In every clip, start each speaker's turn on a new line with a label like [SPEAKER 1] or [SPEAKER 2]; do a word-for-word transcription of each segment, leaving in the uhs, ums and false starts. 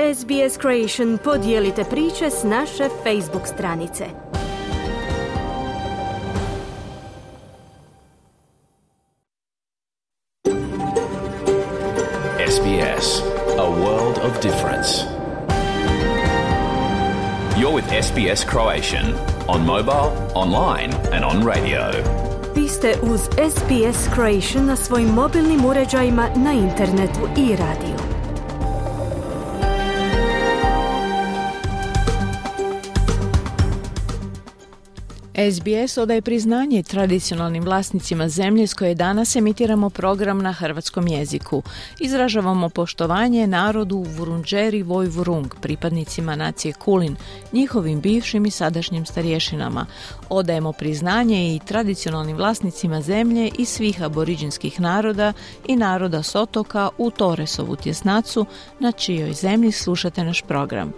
[SPEAKER 1] S B S Creation podijelite priče s naše Facebook stranice.
[SPEAKER 2] S B S, a world of difference. You're with S B S Croatian on mobile, online and on radio.
[SPEAKER 1] Vi ste uz S B S Croatian na svojim mobilnim uređajima, na internetu i radiju.
[SPEAKER 3] S B S odaje priznanje tradicionalnim vlasnicima zemlje s koje danas emitiramo program na hrvatskom jeziku. Izražavamo poštovanje narodu Vurundjeri Woi-wurrung, pripadnicima nacije Kulin, njihovim bivšim i sadašnjim starješinama. Odajemo priznanje i tradicionalnim vlasnicima zemlje i svih aboriđinskih naroda i naroda s otoka u Torresovu tjesnacu, na čijoj zemlji slušate naš program.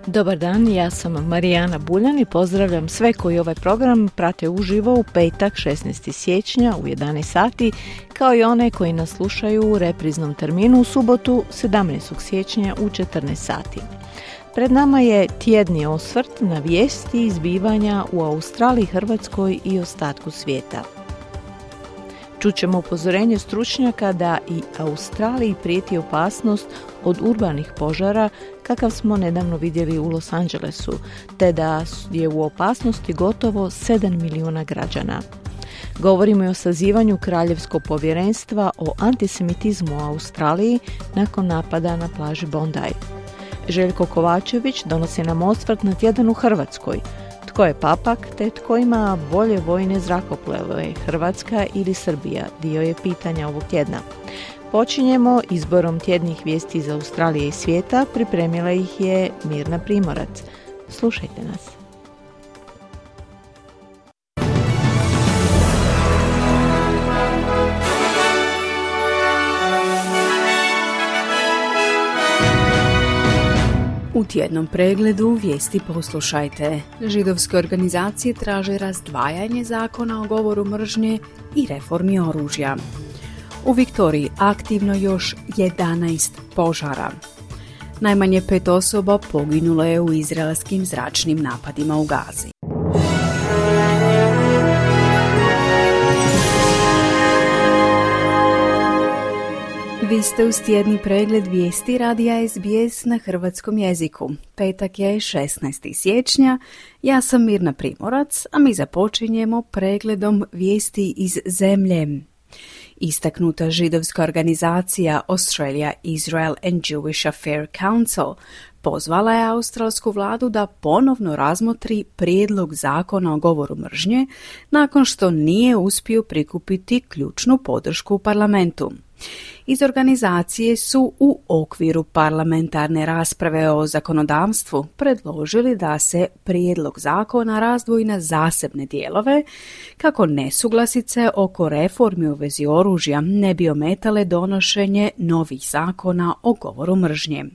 [SPEAKER 3] Dobar dan, ja sam Marijana Buljan i pozdravljam sve koji ovaj program prate uživo u petak šesnaestog siječnja u jedanaest sati, kao i one koji nas slušaju u repriznom terminu u subotu sedamnaestog siječnja u četrnaest sati. Pred nama je tjedni osvrt na vijesti i zbivanja u Australiji, Hrvatskoj i ostatku svijeta. Čućemo upozorenje stručnjaka da i Australiji prijeti opasnost od urbanih požara kakav smo nedavno vidjeli u Los Angelesu, te da je u opasnosti gotovo sedam milijuna građana. Govorimo i o sazivanju Kraljevskog povjerenstva o antisemitizmu u Australiji nakon napada na plaži Bondi. Željko Kovačević donosi nam osvrt na tjedan u Hrvatskoj. Tko je papak, te tko ima bolje vojne zrakoplove, Hrvatska ili Srbija, dio je pitanja ovog tjedna. Počinjemo izborom tjednih vijesti iz Australije i svijeta, pripremila ih je Mirna Primorac. Slušajte nas.
[SPEAKER 4] U tjednom pregledu vijesti poslušajte. Židovske organizacije traže razdvajanje zakona o govoru mržnje i reformi oružja. U Viktoriji aktivno još jedanaest požara. Najmanje pet osoba poginulo je u izraelskim zračnim napadima u Gazi. Vi ste uz tjedni pregled vijesti radija S B S na hrvatskom jeziku. Petak je šesnaestog siječnja, ja sam Mirna Primorac, a mi započinjemo pregledom vijesti iz zemlje. Istaknuta židovska organizacija Australia, Israel and Jewish Affairs Council pozvala je australsku vladu da ponovno razmotri prijedlog zakona o govoru mržnje nakon što nije uspio prikupiti ključnu podršku u parlamentu. Iz organizacije su u okviru parlamentarne rasprave o zakonodavstvu predložili da se prijedlog zakona razdvoji na zasebne dijelove kako nesuglasice oko reformi u vezi oružja ne bi ometale donošenje novih zakona o govoru mržnje.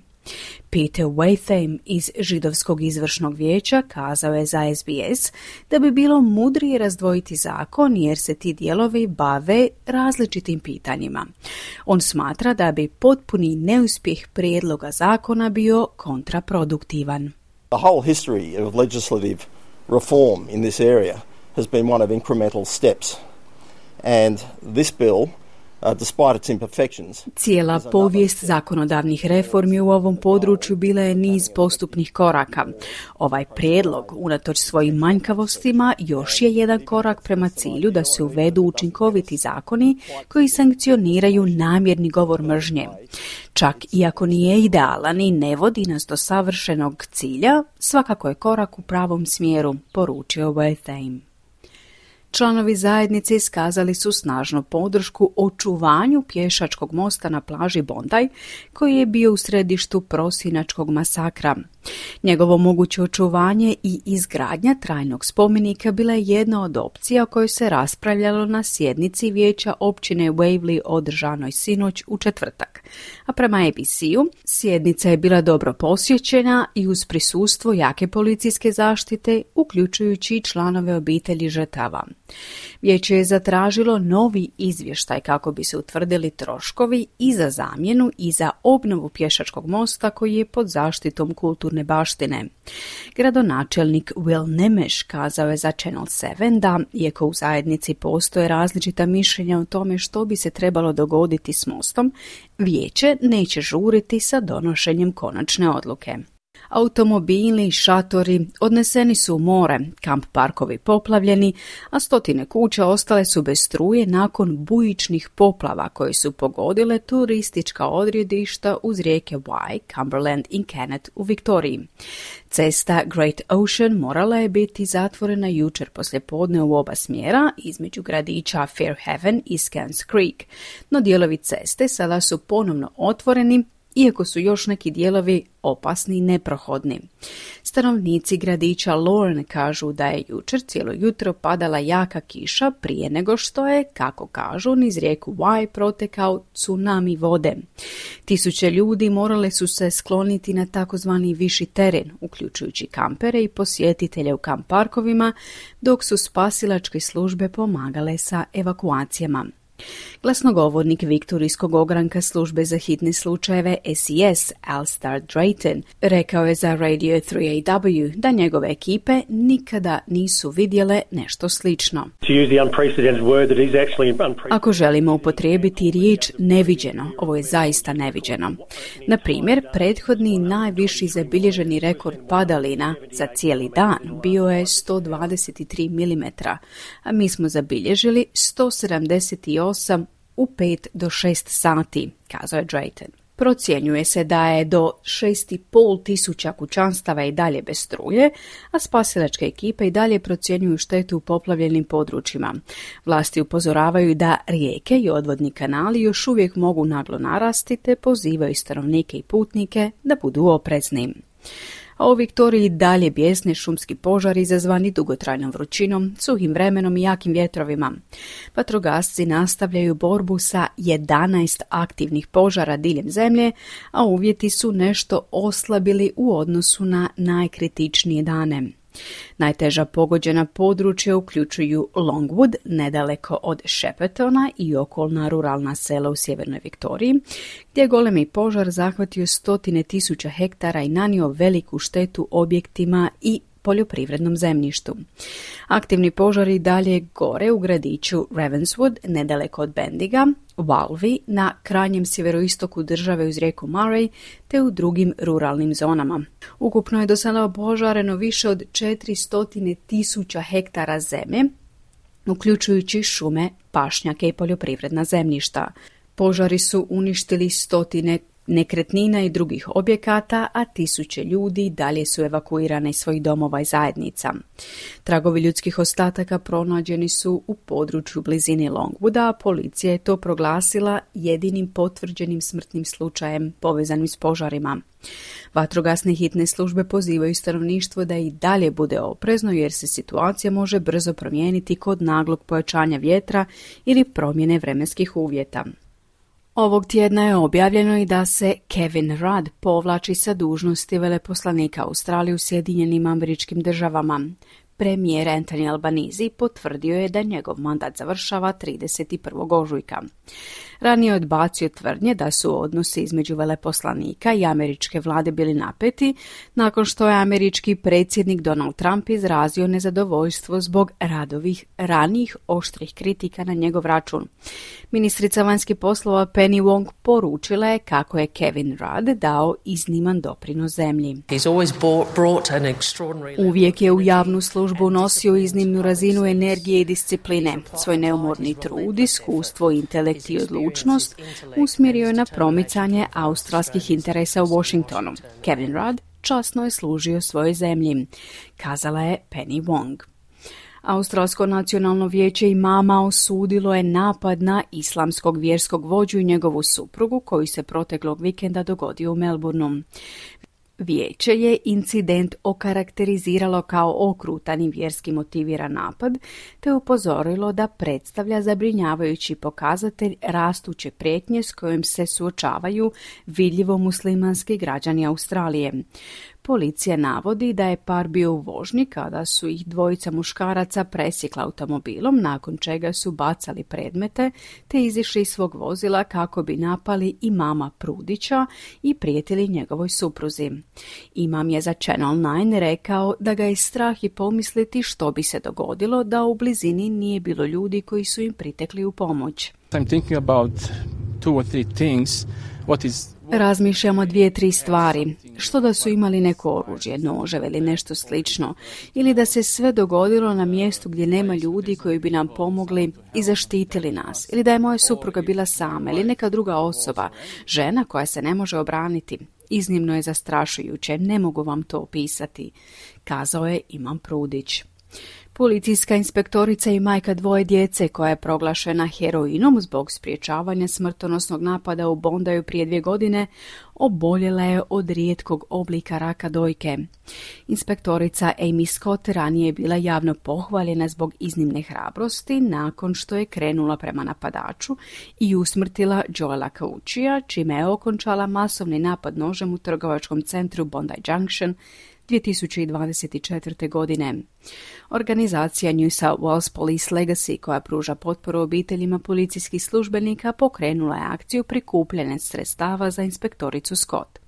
[SPEAKER 4] Peter Waitham iz Židovskog izvršnog vijeća kazao je za S B S da bi bilo mudrije razdvojiti zakon jer se ti dijelovi bave različitim pitanjima. On smatra da bi potpuni neuspjeh prijedloga zakona bio kontraproduktivan.
[SPEAKER 5] The whole history of legislative reform in this area has been one of incremental steps, and this bill, Uh, despite its imperfections.
[SPEAKER 4] Cijela povijest zakonodavnih reformi u ovom području bila je niz postupnih koraka. Ovaj prijedlog, unatoč svojim manjkavostima, još je jedan korak prema cilju da se uvedu učinkoviti zakoni koji sankcioniraju namjerni govor mržnje. Čak iako nije idealan i ne vodi nas do savršenog cilja, svakako je korak u pravom smjeru, poručio Waitham. Članovi zajednice iskazali su snažnu podršku očuvanju pješačkog mosta na plaži Bondi, koji je bio u središtu prosinačkog masakra. Njegovo moguće očuvanje i izgradnja trajnog spomenika bila je jedna od opcija o kojoj se raspravljalo na sjednici vijeća općine Waverley održanoj sinoć u četvrtak. A prema A B C-u, sjednica je bila dobro posjećena i uz prisustvo jake policijske zaštite, uključujući i članove obitelji žrtava. Vijeće je zatražilo novi izvještaj kako bi se utvrdili troškovi i za zamjenu i za obnovu pješačkog mosta koji je pod zaštitom kulturne baštine. Gradonačelnik Will Nemeš kazao je za Channel sedam da, iako u zajednici postoje različita mišljenja o tome što bi se trebalo dogoditi s mostom, vijeće neće žuriti sa donošenjem konačne odluke. Automobili i šatori odneseni su u more, kamp parkovi poplavljeni, a stotine kuća ostale su bez struje nakon bujičnih poplava koje su pogodile turistička odredišta uz rijeke Wye, Cumberland i Kennet u Viktoriji. Cesta Great Ocean morala je biti zatvorena jučer poslijepodne u oba smjera između gradića Fairhaven i Scans Creek, no dijelovi ceste sada su ponovno otvoreni, iako su još neki dijelovi opasni i neprohodni. Stanovnici gradića Lorne kažu da je jučer cijelo jutro padala jaka kiša prije nego što je, kako kažu, niz rijeku Wye protekao tsunami vode. Tisuće ljudi morale su se skloniti na takozvani viši teren, uključujući kampere i posjetitelje u kamp parkovima, dok su spasilačke službe pomagale sa evakuacijama. Glasnogovornik Viktorijskog ogranka službe za hitne slučajeve S E S, Alistair Drayton, rekao je za Radio tri A W da njegove ekipe nikada nisu vidjele nešto slično. Ako želimo upotrijebiti riječ neviđeno, ovo je zaista neviđeno. Na primjer, prethodni najviši zabilježeni rekord padalina za cijeli dan bio je sto dvadeset tri milimetra, a mi smo zabilježili sto sedamdeset osam u pet do šest sati, kazao je Drayton. Procjenjuje se da je do šest i pol tisuća kućanstava i dalje bez struje, a spasilačke ekipe i dalje procjenjuju štetu u poplavljenim područjima. Vlasti upozoravaju da rijeke i odvodni kanali još uvijek mogu naglo narasti te pozivaju stanovnike i putnike da budu oprezni. A u Viktoriji dalje bijesne šumski požari izazvani dugotrajnom vrućinom, suhim vremenom i jakim vjetrovima. Vatrogasci nastavljaju borbu sa jedanaest aktivnih požara diljem zemlje, a uvjeti su nešto oslabili u odnosu na najkritičnije dane. Najteža pogođena područja uključuju Longwood, nedaleko od Sheppertona i okolna ruralna sela u sjevernoj Viktoriji, gdje je golemi požar zahvatio stotine tisuća hektara i nanio veliku štetu objektima i poljoprivrednom zemljištu. Aktivni požari dalje gore u gradiću Ravenswood, nedaleko od Bendiga, Walvi, na krajnjem sjeveroistoku države uz rijeku Murray, te u drugim ruralnim zonama. Ukupno je do sada opožareno više od četiristo tisuća hektara zemlje, uključujući šume, pašnjake i poljoprivredna zemljišta. Požari su uništili stotine nekretnina i drugih objekata, a tisuće ljudi dalje su evakuirane iz svojih domova i zajednica. Tragovi ljudskih ostataka pronađeni su u području blizini Longwooda, a policija je to proglasila jedinim potvrđenim smrtnim slučajem povezanim s požarima. Vatrogasne hitne službe pozivaju stanovništvo da i dalje bude oprezno jer se situacija može brzo promijeniti kod naglog pojačanja vjetra ili promjene vremenskih uvjeta. Ovog tjedna je objavljeno i da se Kevin Rudd povlači sa dužnosti veleposlanika Australije u Sjedinjenim Američkim Državama. Premijer Anthony Albanese potvrdio je da njegov mandat završava trideset prvog ožujka. Ranije je odbacio tvrdnje da su odnosi između veleposlanika i američke vlade bili napeti, nakon što je američki predsjednik Donald Trump izrazio nezadovoljstvo zbog Ruddovih ranijih oštrih kritika na njegov račun. Ministrica vanjskih poslova Penny Wong poručila je kako je Kevin Rudd dao izniman doprinos zemlji. Uvijek je u javnu službu nosio iznimnu razinu energije i discipline. Svoj neumorni trud, iskustvo, intelekt i odlučnost usmjerio je na promicanje australskih interesa u Washingtonu. Kevin Rudd časno je služio svojoj zemlji, kazala je Penny Wong. Australsko nacionalno vijeće imama osudilo je napad na islamskog vjerskog vođu i njegovu suprugu koji se proteklog vikenda dogodio u Melbourneu. Vijeće je incident okarakteriziralo kao okrutan i vjerski motiviran napad, te upozorilo da predstavlja zabrinjavajući pokazatelj rastuće prijetnje s kojim se suočavaju vidljivo muslimanski građani Australije. Policija navodi da je par bio u vožnji kada su ih dvojica muškaraca presjekla automobilom, nakon čega su bacali predmete te izišli iz svog vozila kako bi napali imama Prudića i prijetili njegovoj supruzi. Imam je za Channel nine rekao da ga je strah i pomisliti što bi se dogodilo da u blizini nije bilo ljudi koji su im pritekli u pomoć.
[SPEAKER 6] I'm thinking about two or three things. What is
[SPEAKER 4] Razmišljamo dvije, tri stvari. Što da su imali neko oružje, noževe ili nešto slično, ili da se sve dogodilo na mjestu gdje nema ljudi koji bi nam pomogli i zaštitili nas, ili da je moja supruga bila sama ili neka druga osoba, žena koja se ne može obraniti. Iznimno je zastrašujuće, ne mogu vam to opisati, kazao je Imam Prudić. Policijska inspektorica i majka dvoje djece koja je proglašena heroinom zbog sprječavanja smrtonosnog napada u Bondaju prije dvije godine oboljela je od rijetkog oblika raka dojke. Inspektorica Amy Scott ranije je bila javno pohvaljena zbog iznimne hrabrosti nakon što je krenula prema napadaču i usmrtila Joela Cauchija, čime je okončala masovni napad nožem u trgovačkom centru Bondi Junction dvije tisuće dvadeset četvrte. godine. Organizacija New South Wales Police Legacy, koja pruža potporu obiteljima policijskih službenika, pokrenula je akciju prikupljanja sredstava za inspektoricu Scott.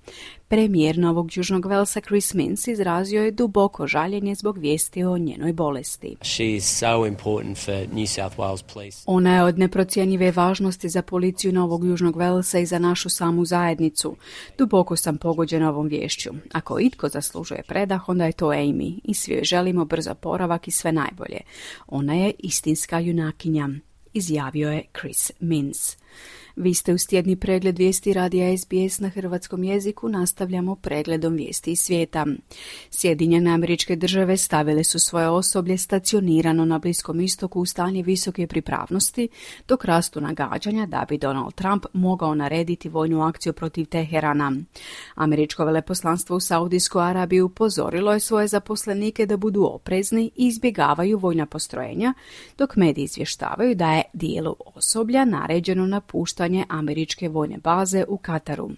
[SPEAKER 4] Premijer Novog Južnog Velsa Chris Minns izrazio je duboko žaljenje zbog vijesti o njenoj bolesti.
[SPEAKER 7] She is so important for New South Wales Police.
[SPEAKER 4] Ona je od neprocjenjive važnosti za policiju Novog Južnog Velsa i za našu samu zajednicu. Duboko sam pogođena ovom viješću. Ako itko zaslužuje predah, onda je to Amy i svi joj želimo brz oporavak i sve najbolje. Ona je istinska junakinja, izjavio je Chris Minns. Vi ste uz tjedni pregled vijesti radija S B S na hrvatskom jeziku. Nastavljamo pregledom vijesti iz svijeta. Sjedinjene Američke Države stavile su svoje osoblje stacionirano na Bliskom istoku u stanje visoke pripravnosti, dok rastu nagađanja da bi Donald Trump mogao narediti vojnu akciju protiv Teherana. Američko veleposlanstvo u Saudijskoj Arabiji upozorilo je svoje zaposlenike da budu oprezni i izbjegavaju vojna postrojenja, dok mediji izvještavaju da je dijelu osoblja naređeno napuštanje američke vojne baze u Kataru.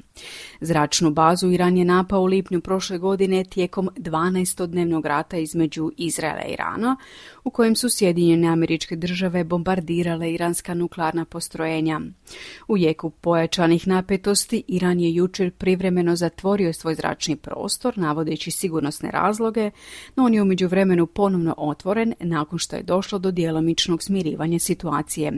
[SPEAKER 4] Zračnu bazu Iran je napao u lipnju prošle godine tijekom dvanaestodnevnog rata između Izraela i Irana, u kojem su Sjedinjene Američke Države bombardirale iranska nuklearna postrojenja. U jeku pojačanih napetosti Iran je jučer privremeno zatvorio svoj zračni prostor, navodeći sigurnosne razloge, no on je u međuvremenu ponovno otvoren nakon što je došlo do djelomičnog smirivanja situacije.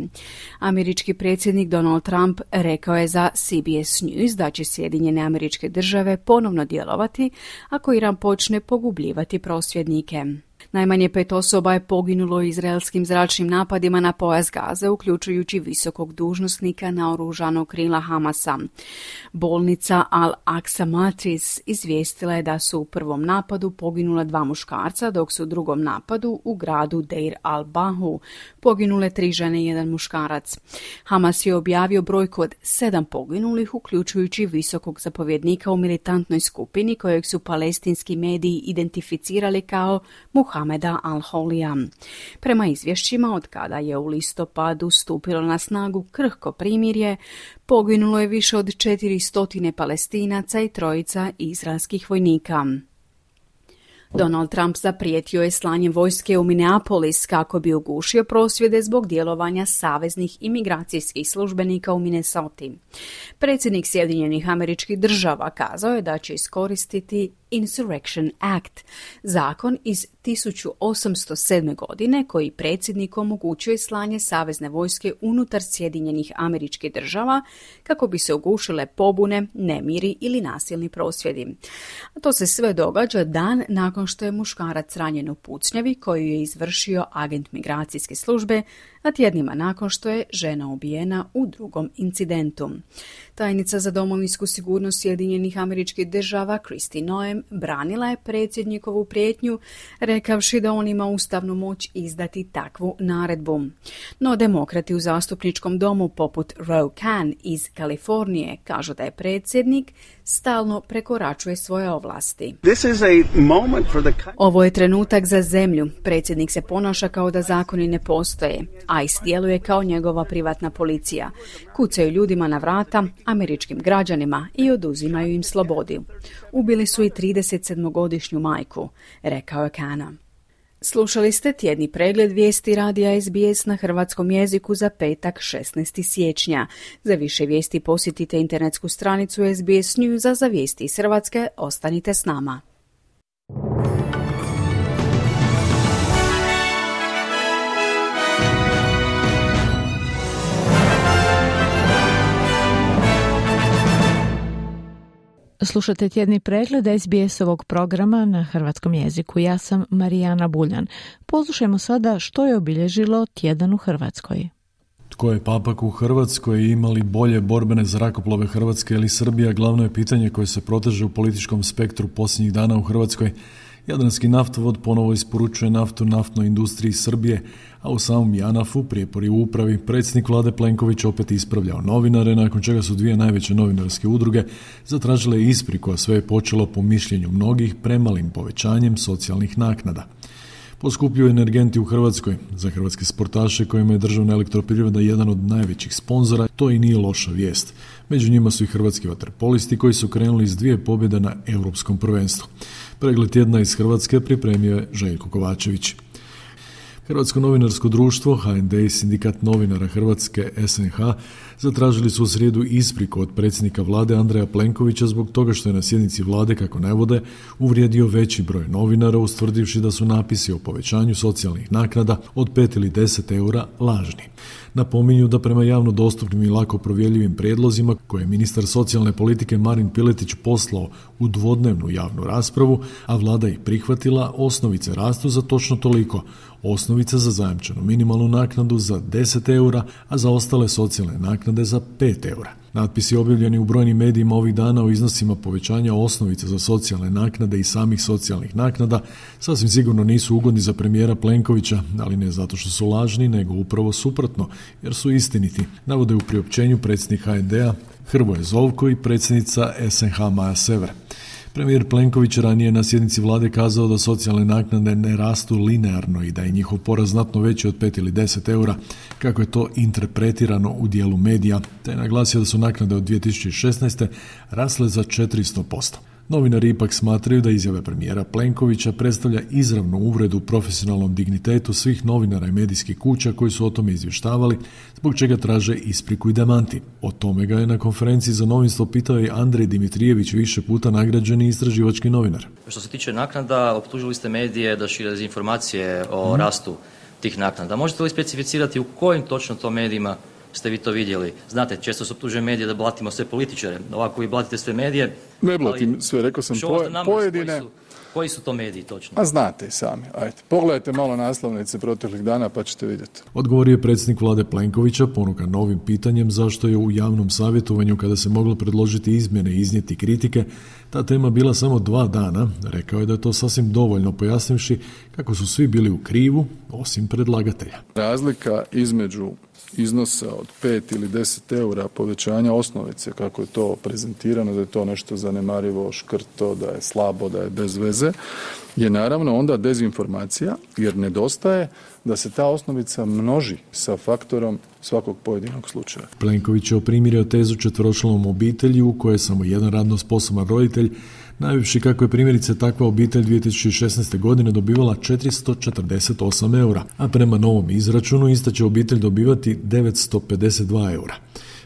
[SPEAKER 4] Američki predsjednik Donald Trump rekao je za C B S News da će Sjedinjene Američke Države ponovno djelovati ako Iran počne pogubljivati prosvjednike. Najmanje pet osoba je poginulo u izraelskim zračnim napadima na pojas Gaze, uključujući visokog dužnosnika naoružanog krila Hamasa. Bolnica Al-Aqsa Matris izvijestila je da su u prvom napadu poginula dva muškarca, dok su u drugom napadu u gradu Deir al-Bahu poginule tri žene i jedan muškarac. Hamas je objavio brojku od sedam poginulih, uključujući visokog zapovjednika u militantnoj skupini kojeg su palestinski mediji identificirali kao Muhameda al-Holija. Prema izvješćima, od kada je u listopadu stupilo na snagu krhko primirje, poginulo je više od četiristo Palestinaca i trojica izraelskih vojnika. Donald Trump zaprijetio je slanjem vojske u Minneapolis kako bi ugušio prosvjede zbog djelovanja saveznih imigracijskih službenika u Minnesoti. Predsjednik Sjedinjenih Američkih Država kazao je da će iskoristiti Insurrection Act, zakon iz tisuću osamsto sedme. godine koji predsjedniku omogućuje slanje savezne vojske unutar Sjedinjenih Američkih Država kako bi se ugušile pobune, nemiri ili nasilni prosvjedi. A to se sve događa dan nakon što je muškarac ranjen u pucnjavi koju je izvršio agent migracijske službe, a tjednima nakon što je žena ubijena u drugom incidentu. Tajnica za domovinsku sigurnost Sjedinjenih Američkih Država Kristi Noem branila je predsjednikovu prijetnju, rekavši da on ima ustavnu moć izdati takvu naredbu. No demokrati u zastupničkom domu poput Ro Khan iz Kalifornije kažu da je predsjednik stalno prekoračuje svoje ovlasti.
[SPEAKER 8] This is a moment for the...
[SPEAKER 4] Ovo je trenutak za zemlju. Predsjednik se ponaša kao da zakoni ne postoje. ICE djeluje kao njegova privatna policija. Kucaju ljudima na vrata, američkim građanima, i oduzimaju im slobodu. Ubili su i tridesetsedmogodišnju majku, rekao je Kana. Slušali ste tjedni pregled vijesti radija S B S na hrvatskom jeziku za petak šesnaestog siječnja. Za više vijesti posjetite internetsku stranicu S B S News, a za vijesti iz Hrvatske ostanite s nama.
[SPEAKER 3] Slušate tjedni pregled S B S-ovog programa na hrvatskom jeziku. Ja sam Marijana Buljan. Poslušajmo sada što je obilježilo tjedan u Hrvatskoj.
[SPEAKER 9] Tko je papak u Hrvatskoj i ima li bolje borbene zrakoplove Hrvatske ili Srbija, glavno je pitanje koje se proteže u političkom spektru posljednjih dana u Hrvatskoj. Jadranski naftovod ponovo isporučuje naftu naftnoj industriji Srbije, a u samom JANAF-u, prijepori u upravi, predsjednik vlade Plenković opet ispravljao novinare, nakon čega su dvije najveće novinarske udruge zatražile ispriku, a sve je počelo po mišljenju mnogih premalim povećanjem socijalnih naknada. Poskupljuju energenti u Hrvatskoj. Za hrvatske sportaše kojima je državna elektroprivreda jedan od najvećih sponzora, to i nije loša vijest. Među njima su i hrvatski vaterpolisti koji su krenuli iz dvije pobjede na Europskom prvenstvu. Pregled tjedna iz Hrvatske pripremio je Željko Kovačević. Hrvatsko novinarsko društvo, H N D i Sindikat novinara Hrvatske S N H zatražili su u srijedu ispriku od predsjednika vlade Andreja Plenkovića zbog toga što je na sjednici vlade, kako navode, uvrijedio veći broj novinara, ustvrdivši da su napisi o povećanju socijalnih naknada od pet ili deset eura lažni. Napominju da prema javno dostupnim i lako provjerljivim prijedlozima koje je ministar socijalne politike Marin Piletić poslao u dvodnevnu javnu raspravu, a vlada ih prihvatila, osnovice rastu za točno toliko. Osnovica za zajamčenu minimalnu naknadu za deset eura, a za ostale socijalne naknade za pet eura. Natpisi objavljeni u brojnim medijima ovih dana o iznosima povećanja osnovice za socijalne naknade i samih socijalnih naknada sasvim sigurno nisu ugodni za premijera Plenkovića, ali ne zato što su lažni, nego upravo suprotno, jer su istiniti, navode u priopćenju predsjednik H N D-a Hrvoje Zovko i predsjednica S N H Maja Sever. Premijer Plenković ranije na sjednici vlade kazao da socijalne naknade ne rastu linearno i da je njihov porast znatno veći od pet ili deset eura, kako je to interpretirano u dijelu medija, te je naglasio da su naknade od dvije tisuće šesnaeste. rasle za četiristo posto. Novinari ipak smatraju da izjave premijera Plenkovića predstavlja izravnu uvredu profesionalnom dignitetu svih novinara i medijskih kuća koji su o tome izvještavali, zbog čega traže ispriku i demanti. O tome ga je na konferenciji za novinstvo pitao i Andrej Dimitrijević, više puta nagrađeni istraživački novinar.
[SPEAKER 10] Što se tiče naknada, optužili ste medije da šire dezinformacije o hmm. rastu tih naknada. Možete li specificirati u kojim točno to medijima ste vi to vidjeli? Znate, često se optužuje medije da blatimo sve političare. Ovako vi blatite sve medije.
[SPEAKER 11] Ne blatim
[SPEAKER 10] ali
[SPEAKER 11] sve, rekao sam poje, pojedine.
[SPEAKER 10] Koji su, koji su to mediji točno?
[SPEAKER 11] A znate i sami. Ajde, pogledajte malo naslovnice proteklih dana pa ćete vidjeti.
[SPEAKER 9] Odgovorio je predsjednik vlade Plenkovića, ponukan novim pitanjem zašto je u javnom savjetovanju, kada se moglo predložiti izmjene i iznijeti kritike, ta tema bila samo dva dana. Rekao je da je to sasvim dovoljno, pojasnivši kako su svi bili u krivu, osim predlagatelja.
[SPEAKER 11] Razlika između iznosa od pet ili deset eura povećanja osnovice, kako je to prezentirano, da je to nešto zanemarivo, škrto, da je slabo, da je bez veze, je naravno onda dezinformacija, jer nedostaje da se ta osnovica množi sa faktorom svakog pojedinog slučaja.
[SPEAKER 9] Plenković je oprimirio tezu četveročlanom obitelji u kojoj je samo jedan radno sposoban roditelj, najviše kako je primjerice takva obitelj dvije tisuće šesnaeste. godine dobivala četiristo četrdeset osam eura, a prema novom izračunu ista će obitelj dobivati devetsto pedeset dva eura.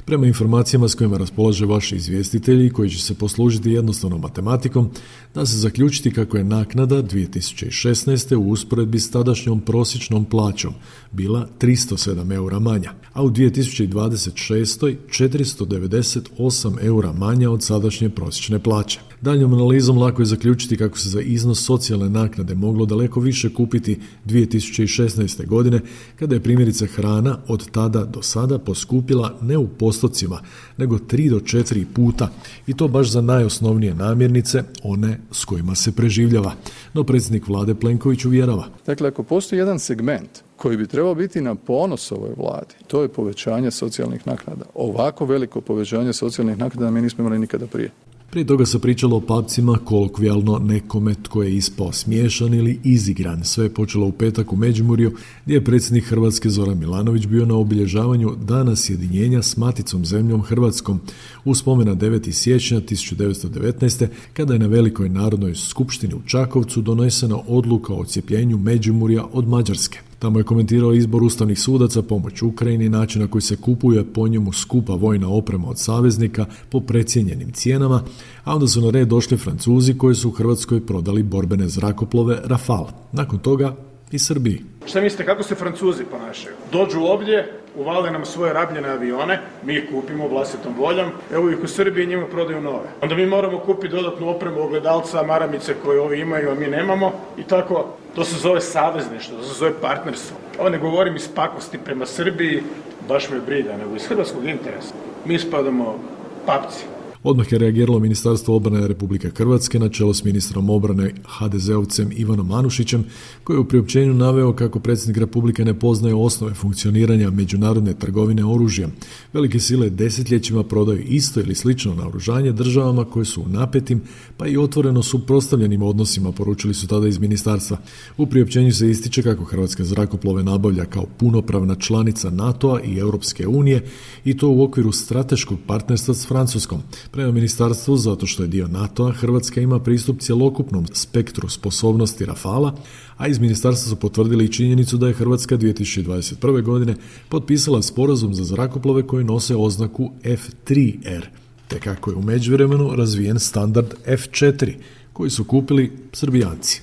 [SPEAKER 9] Prema informacijama s kojima raspolaže vaši izvjestitelji, koji će se poslužiti jednostavnom matematikom, da se zaključiti kako je naknada dvije tisuće šesnaeste. u usporedbi s tadašnjom prosječnom plaćom bila tristo sedam eura manja, a u dvije tisuće dvadeset šestoj. četiristo devedeset osam eura manja od sadašnje prosječne plaće. Daljnjom analizom lako je zaključiti kako se za iznos socijalne naknade moglo daleko više kupiti dvije tisuće šesnaeste. godine, kada je primjerice hrana od tada do sada poskupila ne u postocima, nego tri do četiri puta, i to baš za najosnovnije namirnice, one s kojima se preživljava. No predsjednik vlade Plenković uvjerava.
[SPEAKER 11] Dakle, ako postoji jedan segment koji bi trebao biti na ponos ovoj vladi, to je povećanje socijalnih naknada. Ovako veliko povećanje socijalnih naknada mi nismo imali nikada prije.
[SPEAKER 9] Prije toga se pričalo o papcima, kolokvijalno nekome tko je ispao smiješan ili izigran. Sve je počelo u petak u Međimurju, gdje je predsjednik Hrvatske Zoran Milanović bio na obilježavanju Dana sjedinjenja s maticom zemljom Hrvatskom u spomen na deveti siječnja tisuću devetsto devetnaeste. kada je na Velikoj narodnoj skupštini u Čakovcu donesena odluka o odcjepljenju Međimurja od Mađarske. Tamo je komentirao izbor ustavnih sudaca, pomoć Ukrajini, način na koji se kupuje po njemu skupa vojna oprema od saveznika po precijenjenim cijenama, a onda su na red došli Francuzi koji su u Hrvatskoj prodali borbene zrakoplove Rafale. Nakon toga i Srbiji.
[SPEAKER 12] Šta mislite kako se Francuzi ponašaju? Dođu ovdje, uvale nam svoje rabljene avione, mi ih kupimo vlastitom voljom, evo ih u Srbiji njima prodaju nove. Onda mi moramo kupiti dodatnu opremu, ogledalca, maramice koje ovi imaju, a mi nemamo i tako. To se zove savezništvo, to se zove partnerstvo. Ovo ne govorim iz pakosti prema Srbiji, baš me briga, nego iz hrvatskog interesa. Mi spadamo papci.
[SPEAKER 9] Odmah je reagiralo Ministarstvo obrane Republike Hrvatske na čelo s ministrom obrane ha de zeovcem Ivanom Anušićem, koji je u priopćenju naveo kako predsjednik Republike ne poznaje osnove funkcioniranja međunarodne trgovine oružjem. Velike sile desetljećima prodaju isto ili slično naoružanje državama koje su u napetim, pa i otvoreno suprotstavljenim odnosima, poručili su tada iz ministarstva. U priopćenju se ističe kako Hrvatska zrakoplove nabavlja kao punopravna članica NATO-a i Europske unije i to u okviru strateškog partnerstva s Francuskom. Prema ministarstvu, zato što je dio NATO-a, Hrvatska ima pristup cjelokupnom spektru sposobnosti Rafala, a iz ministarstva su potvrdili i činjenicu da je Hrvatska dvije tisuće dvadeset prve. godine potpisala sporazum za zrakoplove koji nose oznaku F tri R, te kako je u međuvremenu razvijen standard F četiri, koji su kupili Srbijanci.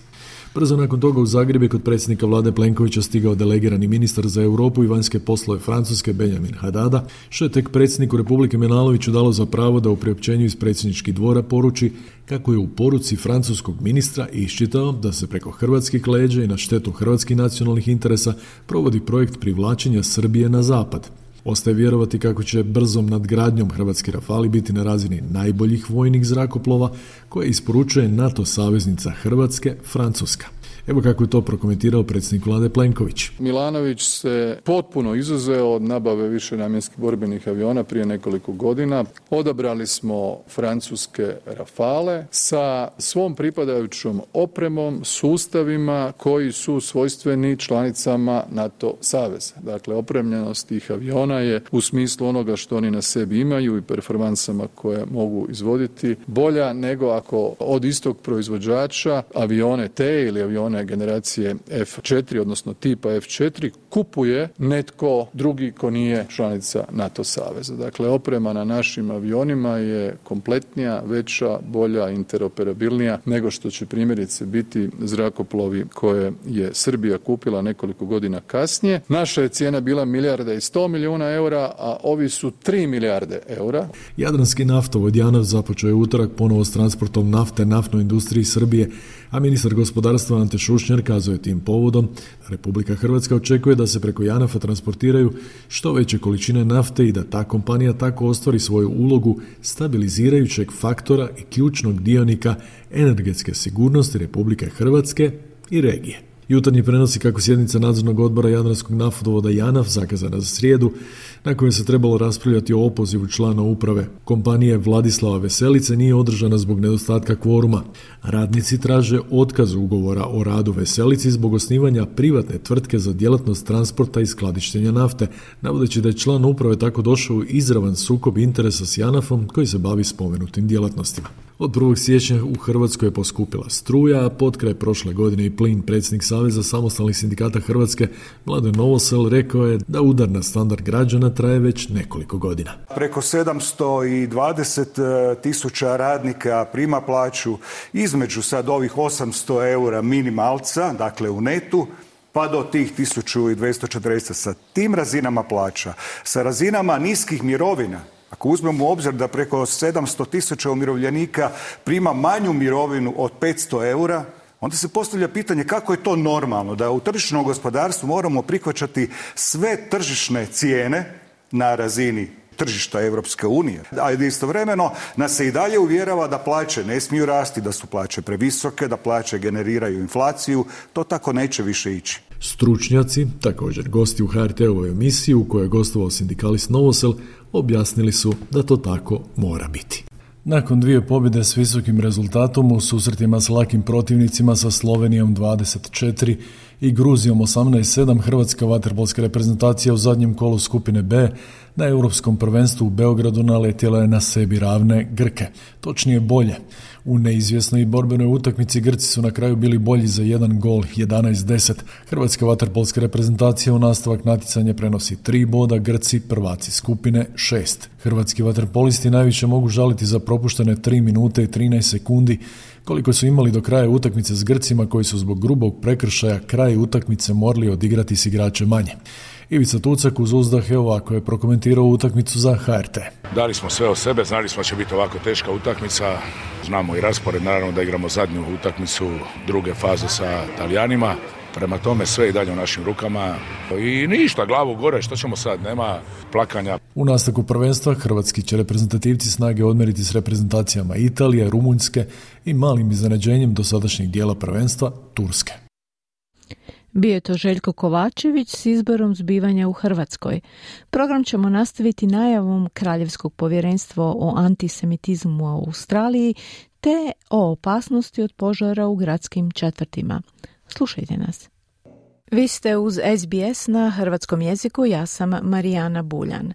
[SPEAKER 9] Brzo nakon toga u Zagreb je kod predsjednika vlade Plenkovića stigao delegirani ministar za Europu i vanjske poslove Francuske Benjamin Haddada, što je tek predsjedniku Republike Milanoviću dalo za pravo da u priopćenju iz predsjedničkih dvora poruči kako je u poruci francuskog ministra iščitao da se preko hrvatskih leđa i na štetu hrvatskih nacionalnih interesa provodi projekt privlačenja Srbije na zapad. Ostaje vjerovati kako će brzom nadgradnjom hrvatski Rafali biti na razini najboljih vojnih zrakoplova koje isporučuje NATO saveznica Hrvatske, Francuska. Evo kako je to prokomentirao predsjednik vlade Plenković.
[SPEAKER 11] Milanović se potpuno izuzeo od nabave višenamjenskih borbenih aviona prije nekoliko godina. Odabrali smo francuske Rafale sa svom pripadajućom opremom, sustavima koji su svojstveni članicama NATO saveza. Dakle, opremljenost tih aviona je u smislu onoga što oni na sebi imaju i performansama koje mogu izvoditi bolja nego ako od istog proizvođača avione T ili avione generacije F četiri, odnosno tipa F četiri, kupuje netko drugi ko nije članica NATO saveza. Dakle, oprema na našim avionima je kompletnija, veća, bolja, interoperabilnija nego što će primjerice biti zrakoplovi koje je Srbija kupila nekoliko godina kasnije. Naša je cijena bila milijarda i sto milijuna eura, a ovi su tri milijarde eura.
[SPEAKER 9] Jadranski naftovod JANAF započeo je utorak ponovo s transportom nafte naftnoj industriji Srbije, a ministar gospodarstva Ante Šušnjar kazao je tim povodom Republika Hrvatska očekuje da se preko JANAF-a transportiraju što veće količine nafte i da ta kompanija tako ostvari svoju ulogu stabilizirajućeg faktora i ključnog dionika energetske sigurnosti Republike Hrvatske i regije. Jutarnji prenosi kako sjednica nadzornog odbora Jadranskog naftovoda JANAF zakazana za srijedu, na kojoj se trebalo raspravljati o opozivu člana uprave kompanije Vladislava Veselice, nije održana zbog nedostatka kvoruma. Radnici traže otkaz ugovora o radu Veselici zbog osnivanja privatne tvrtke za djelatnost transporta i skladištenja nafte, navodeći da je član uprave tako došao u izravan sukob interesa s JANAF-om koji se bavi spomenutim djelatnostima. Od prvog siječnja u Hrvatskoj je poskupila struja, a potkraj prošle godine i plin. Predsjednik Saveza samostalnih sindikata Hrvatske Mladen Novosel rekao je da udar na standard građana traje već nekoliko godina.
[SPEAKER 13] Preko sedamsto dvadeset tisuća radnika prima plaću između sad ovih osamsto eura minimalca, dakle u netu, pa do tih tisuću dvjesto četrdeset. Sa tim razinama plaća, sa razinama niskih mirovina, ako uzmemo u obzir da preko sedamsto tisuća umirovljenika prima manju mirovinu od petsto eura, onda se postavlja pitanje kako je to normalno da u tržišnom gospodarstvu moramo prihvaćati sve tržišne cijene na razini tržišta Europske unije. A istovremeno nas se i dalje uvjerava da plaće ne smiju rasti, da su plaće previsoke, da plaće generiraju inflaciju. To tako neće više ići.
[SPEAKER 9] Stručnjaci, također gosti u H R T-ovoj emisiji u kojoj je gostovao sindikalist Novosel, objasnili su da to tako mora biti. Nakon dvije pobjede s visokim rezultatom u susretima s lakim protivnicima sa Slovenijom dvadeset četiri i Gruzijom osamnaest sedam, hrvatska vaterpolska reprezentacija u zadnjem kolu skupine B na Europskom prvenstvu u Beogradu naletjela je na sebi ravne Grke, točnije bolje. U neizvjesnoj i borbenoj utakmici Grci su na kraju bili bolji za jedan gol, jedanaest deset. Hrvatska vaterpolska reprezentacija u nastavak natjecanja prenosi tri boda, Grci prvaci skupine šest. Hrvatski vaterpolisti najviše mogu žaliti za propuštene tri minute i trinaest sekundi koliko su imali do kraja utakmice s Grcima koji su zbog grubog prekršaja kraj utakmice morali odigrati s igrače manje. Ivica Tucak uz uzdah je ovako je prokomentirao utakmicu za H R T.
[SPEAKER 14] Dali smo sve od sebe, znali smo da će biti ovako teška utakmica, znamo i raspored, naravno da igramo zadnju utakmicu druge faze sa Talijanima, prema tome sve i dalje u našim rukama i ništa, glavu gore, što ćemo sad, nema plakanja.
[SPEAKER 9] U nastavku prvenstva hrvatski će reprezentativci snage odmeriti s reprezentacijama Italije, Rumunjske i malim iznenađenjem dosadašnjeg dijela prvenstva Turske.
[SPEAKER 3] Bio je to Željko Kovačević s izborom zbivanja u Hrvatskoj. Program ćemo nastaviti najavom Kraljevskog povjerenstva o antisemitizmu u Australiji te o opasnosti od požara u gradskim četvrtima. Slušajte nas. Vi ste uz S B S na hrvatskom jeziku, ja sam Marijana Buljan.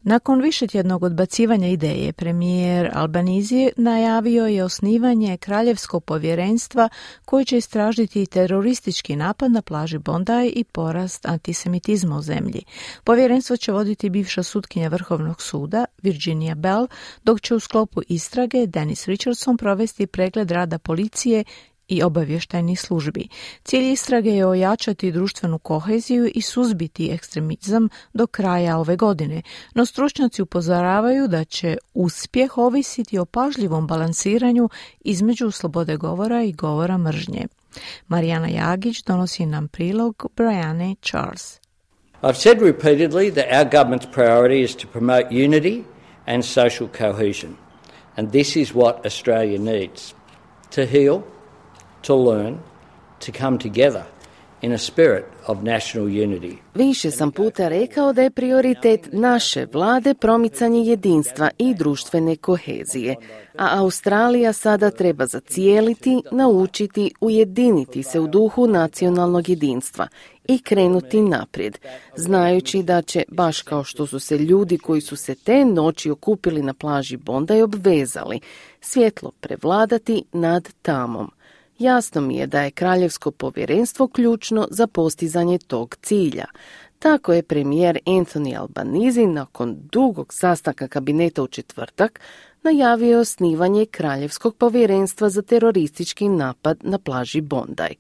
[SPEAKER 3] Nakon višetjednog odbacivanja ideje, premijer Albanese najavio je osnivanje Kraljevskog povjerenstva koje će istražiti teroristički napad na plaži Bondi i porast antisemitizma u zemlji. Povjerenstvo će voditi bivša sutkinja Vrhovnog suda Virginia Bell, dok će u sklopu istrage Dennis Richardson provesti pregled rada policije i obavještajnih službi. Cilj istrage je ojačati društvenu koheziju i suzbiti ekstremizam do kraja ove godine, no stručnjaci upozoravaju da će uspjeh ovisiti o pažljivom balansiranju između slobode govora i govora mržnje. Marijana Jagić donosi nam prilog Brianne Charles.
[SPEAKER 15] I've said repeatedly that our government's priority is to promote unity and social cohesion, and this is what Australia needs: to heal, to learn, to come together in a spirit of national unity.
[SPEAKER 16] Više sam puta rekao da je prioritet naše vlade promicanje jedinstva i društvene kohezije, a Australija sada treba zacijeliti, naučiti, ujediniti se u duhu nacionalnog jedinstva i krenuti naprijed, znajući da će, baš kao što su se ljudi koji su se te noći okupili na plaži Bondi obvezali, svjetlo prevladati nad tamom. Jasno mi je da je Kraljevsko povjerenstvo ključno za postizanje tog cilja. Tako je premijer Anthony Albanese nakon dugog sastanka kabineta u četvrtak najavio osnivanje Kraljevskog povjerenstva za teroristički napad na plaži Bondi.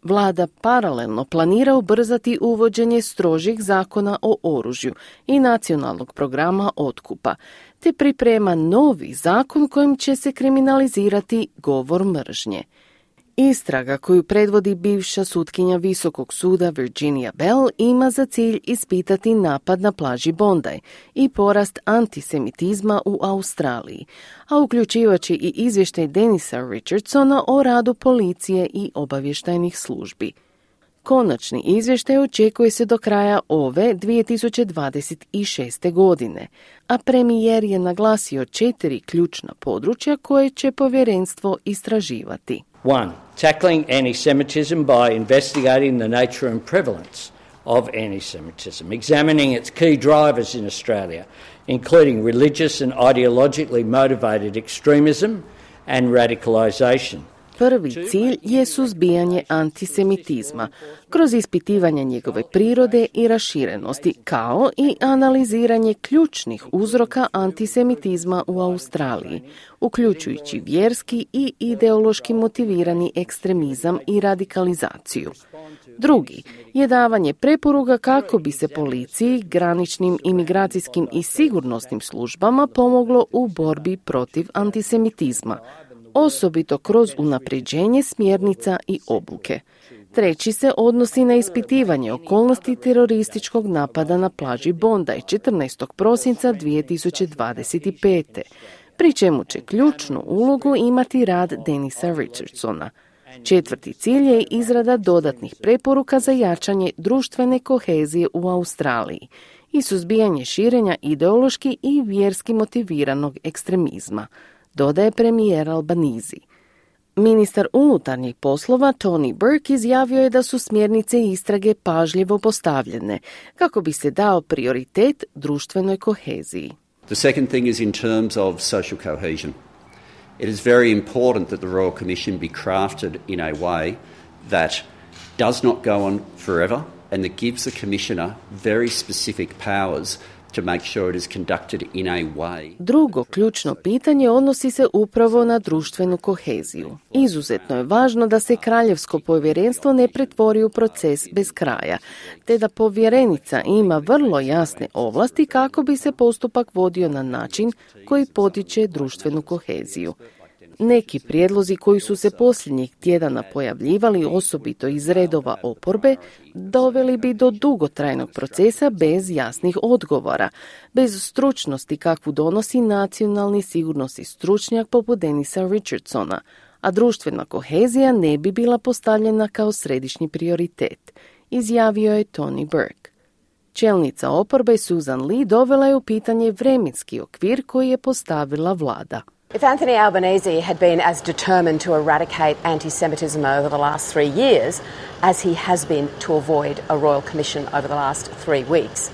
[SPEAKER 16] Vlada paralelno planira ubrzati uvođenje strožih zakona o oružju i nacionalnog programa otkupa, te priprema novi zakon kojim će se kriminalizirati govor mržnje. Istraga koju predvodi bivša sutkinja Visokog suda Virginia Bell ima za cilj ispitati napad na plaži Bondi i porast antisemitizma u Australiji, a uključivaće i izvještaj Dennisa Richardsona o radu policije i obavještajnih službi. Konačni izvještaj očekuje se do kraja ove dvije tisuće dvadeset šeste. godine, a premijer je naglasio četiri ključna područja koje će povjerenstvo istraživati.
[SPEAKER 15] One, tackling anti-Semitism by investigating the nature and prevalence of anti-Semitism, examining its key drivers in Australia, including religious and ideologically motivated extremism and radicalisation.
[SPEAKER 16] Prvi cilj je suzbijanje antisemitizma kroz ispitivanje njegove prirode i raširenosti, kao i analiziranje ključnih uzroka antisemitizma u Australiji, uključujući vjerski i ideološki motivirani ekstremizam i radikalizaciju. Drugi je davanje preporuka kako bi se policiji, graničnim, imigracijskim i sigurnosnim službama pomoglo u borbi protiv antisemitizma, osobito kroz unapređenje smjernica i obuke. Treći se odnosi na ispitivanje okolnosti terorističkog napada na plaži Bondi četrnaestog prosinca dvije tisuće dvadeset pete. pri čemu će ključnu ulogu imati rad Dennisa Richardsona. Četvrti cilj je izrada dodatnih preporuka za jačanje društvene kohezije u Australiji i suzbijanje širenja ideološki i vjerski motiviranog ekstremizma. dodaje premijer Albanizi. Ministar unutarnjih poslova Tony Burke izjavio je da su smjernice istrage pažljivo postavljene kako bi se dao prioritet društvenoj koheziji.
[SPEAKER 17] The second thing is in terms of social cohesion. It is very important that the Royal Commission be crafted in a way that does not go on forever and that gives the Commissioner very specific powers to make sure it is conducted in a way.
[SPEAKER 16] Drugo ključno pitanje odnosi se upravo na društvenu koheziju. Izuzetno je važno da se kraljevsko povjerenstvo ne pretvori u proces bez kraja, te da povjerenica ima vrlo jasne ovlasti kako bi se postupak vodio na način koji potiče društvenu koheziju. Neki prijedlozi koji su se posljednjih tjedana pojavljivali osobito iz redova oporbe doveli bi do dugotrajnog procesa bez jasnih odgovora, bez stručnosti kakvu donosi nacionalni sigurnosni stručnjak poput Denisa Richardsona, a društvena kohezija ne bi bila postavljena kao središnji prioritet, izjavio je Tony Burke. Čelnica oporbe Susan Lee dovela je u pitanje vremenski okvir koji je postavila vlada.
[SPEAKER 18] If Anthony Albanese had been as determined to eradicate anti-Semitism over the last three years as he has been to avoid a royal commission over the last three weeks,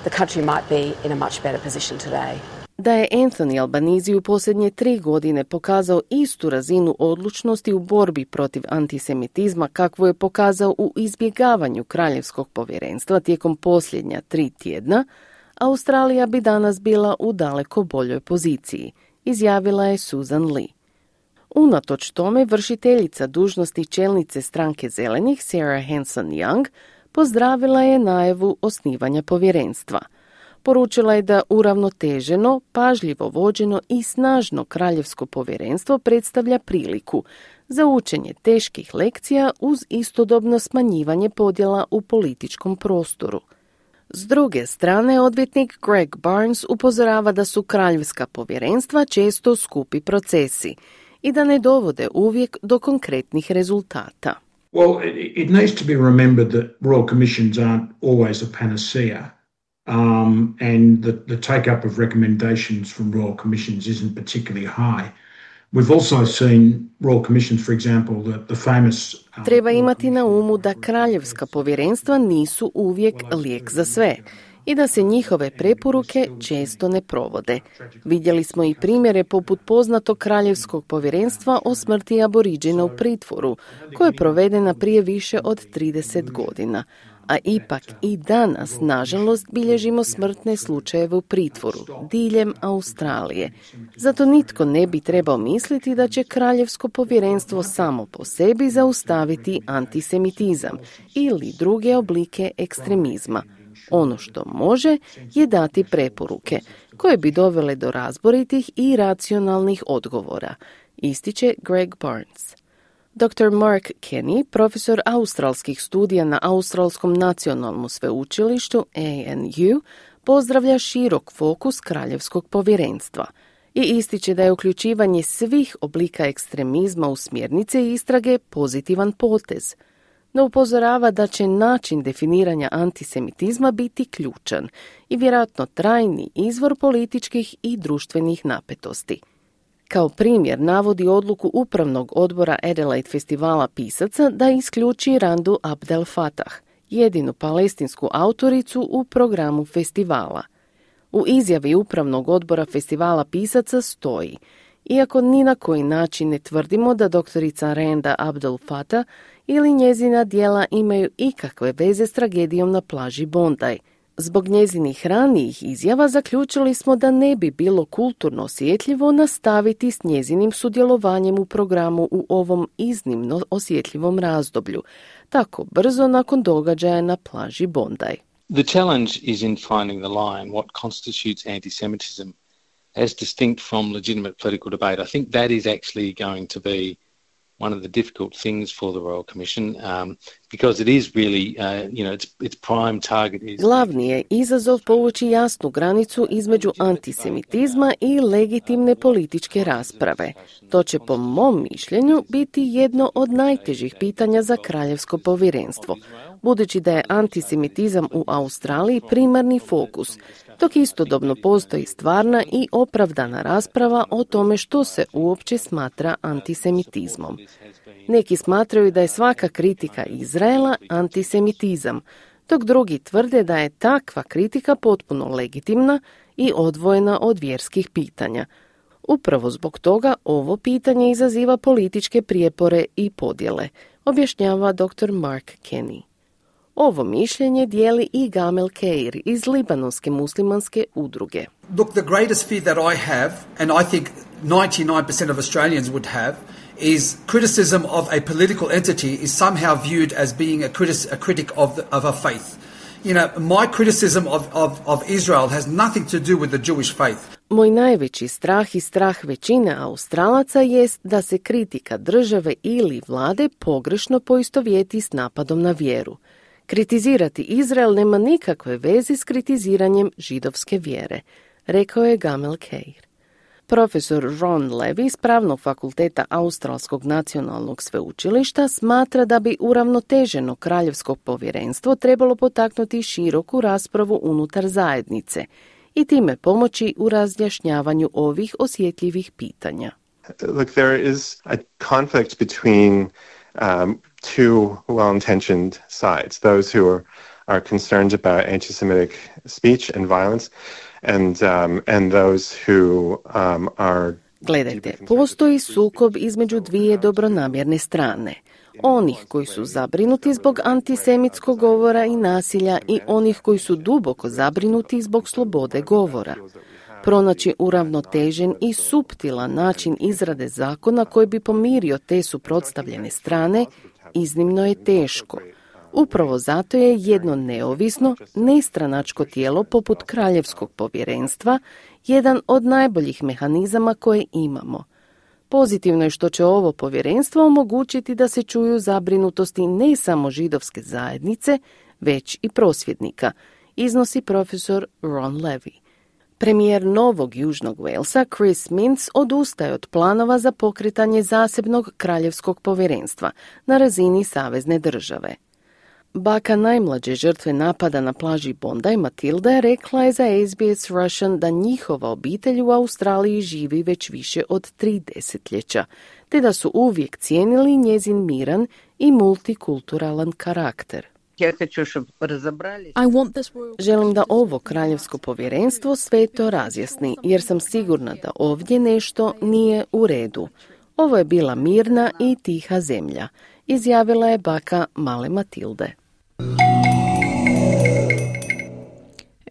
[SPEAKER 18] the country might be in a much better position today.
[SPEAKER 16] Da je Anthony Albanese u posljednje tri godine pokazao istu razinu odlučnosti u borbi protiv antisemitizma kakvu je pokazao u izbjegavanju kraljevskog povjerenstva tijekom posljednja tri tjedna, Australija bi danas bila u daleko boljoj poziciji, izjavila je Susan Lee. Unatoč tome, vršiteljica dužnosti čelnice stranke Zelenih, Sarah Hanson-Young, pozdravila je najavu osnivanja povjerenstva. Poručila je da uravnoteženo, pažljivo vođeno i snažno kraljevsko povjerenstvo predstavlja priliku za učenje teških lekcija uz istodobno smanjivanje podjela u političkom prostoru. S druge strane, odvjetnik Greg Barnes upozorava da su kraljevska povjerenstva često skupi procesi i da ne dovode uvijek do konkretnih rezultata.
[SPEAKER 19] Well, it, it needs to be remembered that royal commissions aren't always a panacea, um, and the, the take-up of recommendations from royal commissions isn't particularly high. We've also seen royal commissions, for example, the, the famous... Um,
[SPEAKER 16] Treba imati na umu da kraljevska povjerenstva nisu uvijek lijek za sve i da se njihove preporuke često ne provode. Vidjeli smo i primjere poput poznatog kraljevskog povjerenstva o smrti Aboriđina u pritvoru, koja je provedena prije više od trideset godina. A ipak i danas, nažalost, bilježimo smrtne slučajeve u pritvoru, diljem Australije. Zato nitko ne bi trebao misliti da će kraljevsko povjerenstvo samo po sebi zaustaviti antisemitizam ili druge oblike ekstremizma. Ono što može je dati preporuke, koje bi dovele do razboritih i racionalnih odgovora, ističe Greg Barnes. doktor Mark Kenny, profesor australskih studija na Australskom nacionalnom sveučilištu A N U, pozdravlja širok fokus kraljevskog povjerenstva i ističe da je uključivanje svih oblika ekstremizma u smjernice i istrage pozitivan potez, no upozorava da će način definiranja antisemitizma biti ključan i vjerojatno trajni izvor političkih i društvenih napetosti. Kao primjer navodi odluku Upravnog odbora Adelaide festivala pisaca da isključi Randu Abdel Fattah, jedinu palestinsku autoricu u programu festivala. U izjavi Upravnog odbora festivala pisaca stoji: iako ni na koji način ne tvrdimo da doktorica Randa Abdel Fattah ili njezina djela imaju ikakve veze s tragedijom na plaži Bondi, zbog njezinih ranijih izjava zaključili smo da ne bi bilo kulturno osjetljivo nastaviti s njezinim sudjelovanjem u programu u ovom iznimno osjetljivom razdoblju, tako brzo nakon događaja na plaži Bondi.
[SPEAKER 20] The challenge is in finding the line, what constitutes anti-Semitism as distinct from legitimate political debate. I think that is actually going to be one of the difficult things for the Royal Commission, um, because it is really, uh, you know, its, its prime target is...
[SPEAKER 16] Glavni je izazov povući jasnu granicu između antisemitizma i legitimne političke rasprave. To će, po mom mišljenju, biti jedno od najtežih pitanja za kraljevsko povjerenstvo, budući da je antisemitizam u Australiji primarni fokus dok istodobno postoji stvarna i opravdana rasprava o tome što se uopće smatra antisemitizmom. Neki smatraju da je svaka kritika Izraela antisemitizam, dok drugi tvrde da je takva kritika potpuno legitimna i odvojena od vjerskih pitanja. Upravo zbog toga ovo pitanje izaziva političke prijepore i podjele, objašnjava doktor Mark Kenny. Ovo mišljenje dijeli i Gamel Keir iz libanonske muslimanske udruge.
[SPEAKER 21] Look, the greatest fear that I have, and I think ninety-nine percent of Australians would have, is criticism of a political entity is somehow viewed as being a, critic, a critic of, the, of a faith. You know, my criticism of, of, of Israel has nothing to do with the Jewish faith.
[SPEAKER 16] Moj najveći strah i strah većine Australaca jest da se kritika države ili vlade pogrešno poistovjeti s napadom na vjeru. Kritizirati Izrael nema nikakve veze s kritiziranjem židovske vjere, rekao je Gamel Keir. Profesor Ron Levy s Pravnog fakulteta Australskog nacionalnog sveučilišta smatra da bi uravnoteženo kraljevsko povjerenstvo trebalo potaknuti široku raspravu unutar zajednice i time pomoći u razjašnjavanju ovih osjetljivih pitanja.
[SPEAKER 22] Look, there is a conflict between um, two well-intentioned sides, those who are, are concerned about anti-Semitic speech and violence, and um, and those who um, are...
[SPEAKER 16] Gledajte, postoji sukob između dvije dobronamjerne strane. Onih koji su zabrinuti zbog antisemitskog govora i nasilja i onih koji su duboko zabrinuti zbog slobode govora. Pronaći uravnotežen i suptilan način izrade zakona koji bi pomirio te suprotstavljene strane iznimno je teško. Upravo zato je jedno neovisno, nestranačko tijelo poput Kraljevskog povjerenstva jedan od najboljih mehanizama koje imamo. Pozitivno je što će ovo povjerenstvo omogućiti da se čuju zabrinutosti ne samo židovske zajednice, već i prosvjednika, iznosi profesor Ron Levy. Premijer Novog Južnog Walesa Chris Minns odustaje od planova za pokretanje zasebnog kraljevskog povjerenstva na razini savezne države. Baka najmlađe žrtve napada na plaži Bondi, Matilda, rekla je za S B S Russian da njihova obitelj u Australiji živi već više od tri desetljeća, te da su uvijek cijenili njezin miran i multikulturalan karakter. Želim da ovo kraljevsko povjerenstvo sve to razjasni, jer sam sigurna da ovdje nešto nije u redu. Ovo je bila mirna i tiha zemlja, izjavila je baka male Matilde.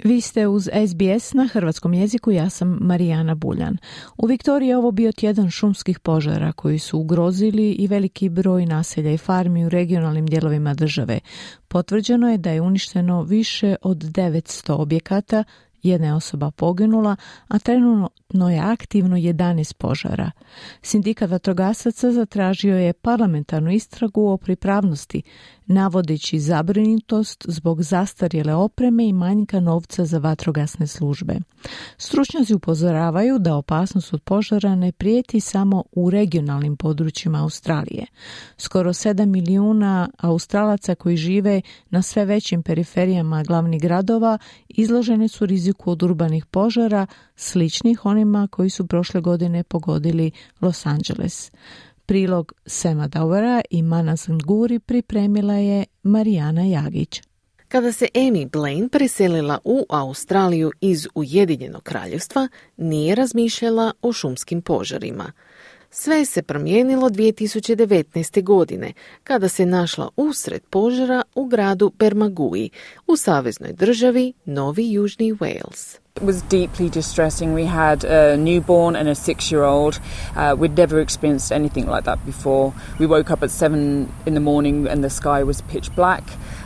[SPEAKER 3] Vi ste uz S B S na hrvatskom jeziku, ja sam Marijana Buljan. U Viktoriji je ovo bio tjedan šumskih požara koji su ugrozili i veliki broj naselja i farmi u regionalnim dijelovima države. Potvrđeno je da je uništeno više od devetsto objekata, jedna je osoba poginula, a trenutno je aktivno jedanaest požara. Sindikat vatrogasaca zatražio je parlamentarnu istragu o pripravnosti, navodeći zabrinutost zbog zastarjele opreme i manjka novca za vatrogasne službe. Stručnjaci upozoravaju da opasnost od požara ne prijeti samo u regionalnim područjima Australije. Skoro sedam milijuna Australaca koji žive na sve većim periferijama glavnih gradova izloženi su riziku od urbanih požara, sličnih onima koji su prošle godine pogodili Los Angeles. Prilog Sema Dauvera i Manas Nguri pripremila je Marijana Jagić.
[SPEAKER 16] Kada se Amy Blaine preselila u Australiju iz Ujedinjenog kraljevstva, nije razmišljala o šumskim požarima. Sve se promijenilo dvije tisuće devetnaeste. godine, kada se našla usred požara u gradu Bermagui, u saveznoj državi Novi Južni Wales.
[SPEAKER 23] It was deeply distressing. We had a newborn and a six-year-old. Uh, we'd never experienced anything like that before. We woke up at seven in the morning and the sky was pitch black.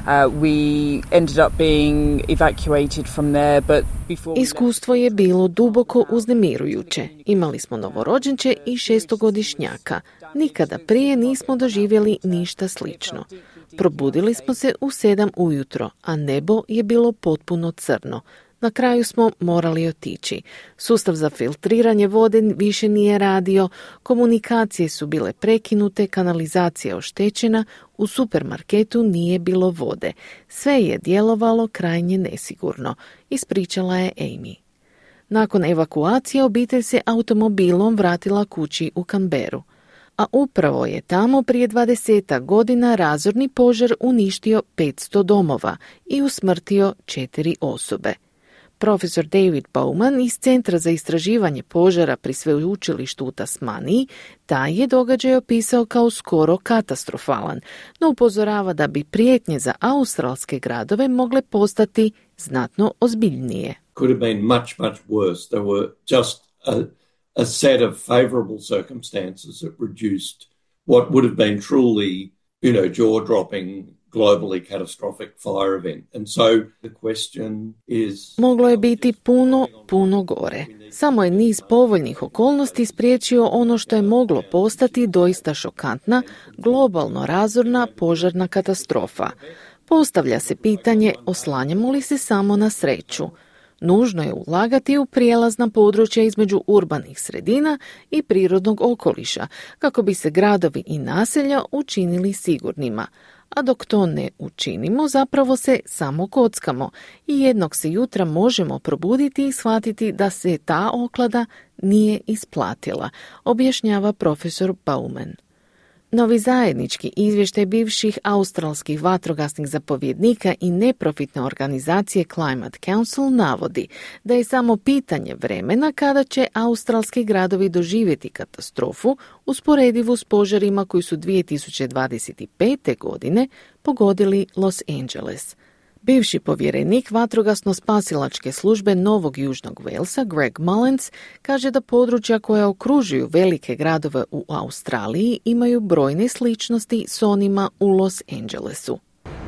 [SPEAKER 23] Uh, we ended up being evacuated from there, but before...
[SPEAKER 16] Iskustvo je bilo duboko uznemirujuće. Imali smo novorođenče i šestogodišnjaka. Nikada prije nismo doživjeli ništa slično. Probudili smo se u sedam ujutro, a nebo je bilo potpuno crno. Na kraju smo morali otići. Sustav za filtriranje vode više nije radio, komunikacije su bile prekinute, kanalizacija oštećena, u supermarketu nije bilo vode. Sve je djelovalo krajnje nesigurno, ispričala je Amy. Nakon evakuacije obitelj se automobilom vratila kući u Canberru. A upravo je tamo prije dvadeset godina razorni požar uništio petsto domova i usmrtio četiri osobe. Profesor David Bowman iz Centra za istraživanje požara pri sveučilištu u Tasmaniji taj je događaj opisao kao skoro katastrofalan, no upozorava da bi prijetnje za australske gradove mogle postati znatno ozbiljnije.
[SPEAKER 1] Could have been much, much worse. There were just a, a set of favourable circumstances that reduced what would have been truly, you know, jaw-dropping, globally catastrophic fire event. And so the question is...
[SPEAKER 16] Moglo je biti puno, puno gore. Samo je niz povoljnih okolnosti spriječio ono što je moglo postati doista šokantna, globalno razorna požarna katastrofa. Postavlja se pitanje, oslanjamo li se samo na sreću? Nužno je ulagati u prijelazna područja između urbanih sredina i prirodnog okoliša, kako bi se gradovi i naselja učinili sigurnima. A dok to ne učinimo, zapravo se samo kockamo i jednog se jutra možemo probuditi i shvatiti da se ta oklada nije isplatila, objašnjava profesor Bowman. Novi zajednički izvještaj bivših australskih vatrogasnih zapovjednika i neprofitne organizacije Climate Council navodi da je samo pitanje vremena kada će australski gradovi doživjeti katastrofu usporedivu s požarima koji su dvije tisuće dvadeset pete. godine pogodili Los Angeles. Bivši povjerenik vatrogasno-spasilačke službe Novog Južnog Walesa, Greg Mullins, kaže da područja koja okružuju velike gradove u Australiji imaju brojne sličnosti s onima u Los Angelesu.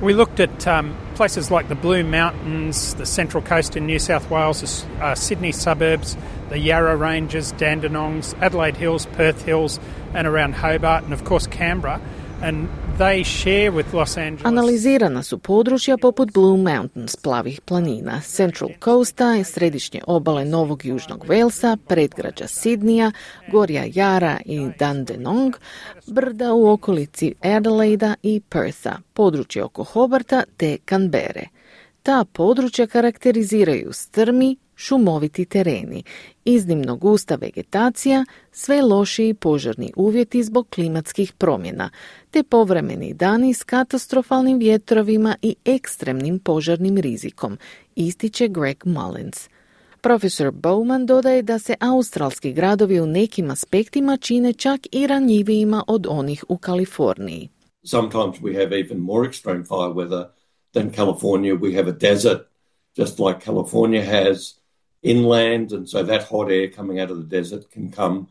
[SPEAKER 2] We looked at um, places like the Blue Mountains, the Central Coast in New South Wales, the uh, Sydney suburbs, the Yarra Ranges, Dandenongs, Adelaide Hills, Perth Hills, and around Hobart, and of course Canberra. And they share with Los Angeles.
[SPEAKER 16] Analizirana su područja poput Blue Mountains, plavih planina, Central Coasta, središnje obale Novog Južnog Walesa, predgrađa Sidnija, gorja Yarra i Dandenong, brda u okolici Adelaida i Pertha, područje oko Hobarta te Canberre. Ta područja karakteriziraju strmi, šumoviti tereni, iznimno gusta vegetacija, sve lošiji požarni uvjeti zbog klimatskih promjena, te povremeni dani s katastrofalnim vjetrovima i ekstremnim požarnim rizikom, ističe Greg Mullins. Profesor Bowman dodaje da se australski gradovi u nekim aspektima čine čak i ranjivijima od onih u Kaliforniji.
[SPEAKER 1] Sometimes we have even more extreme fire weather than California. We have a desert, just like California has inland, and so that hot air coming out of the desert can come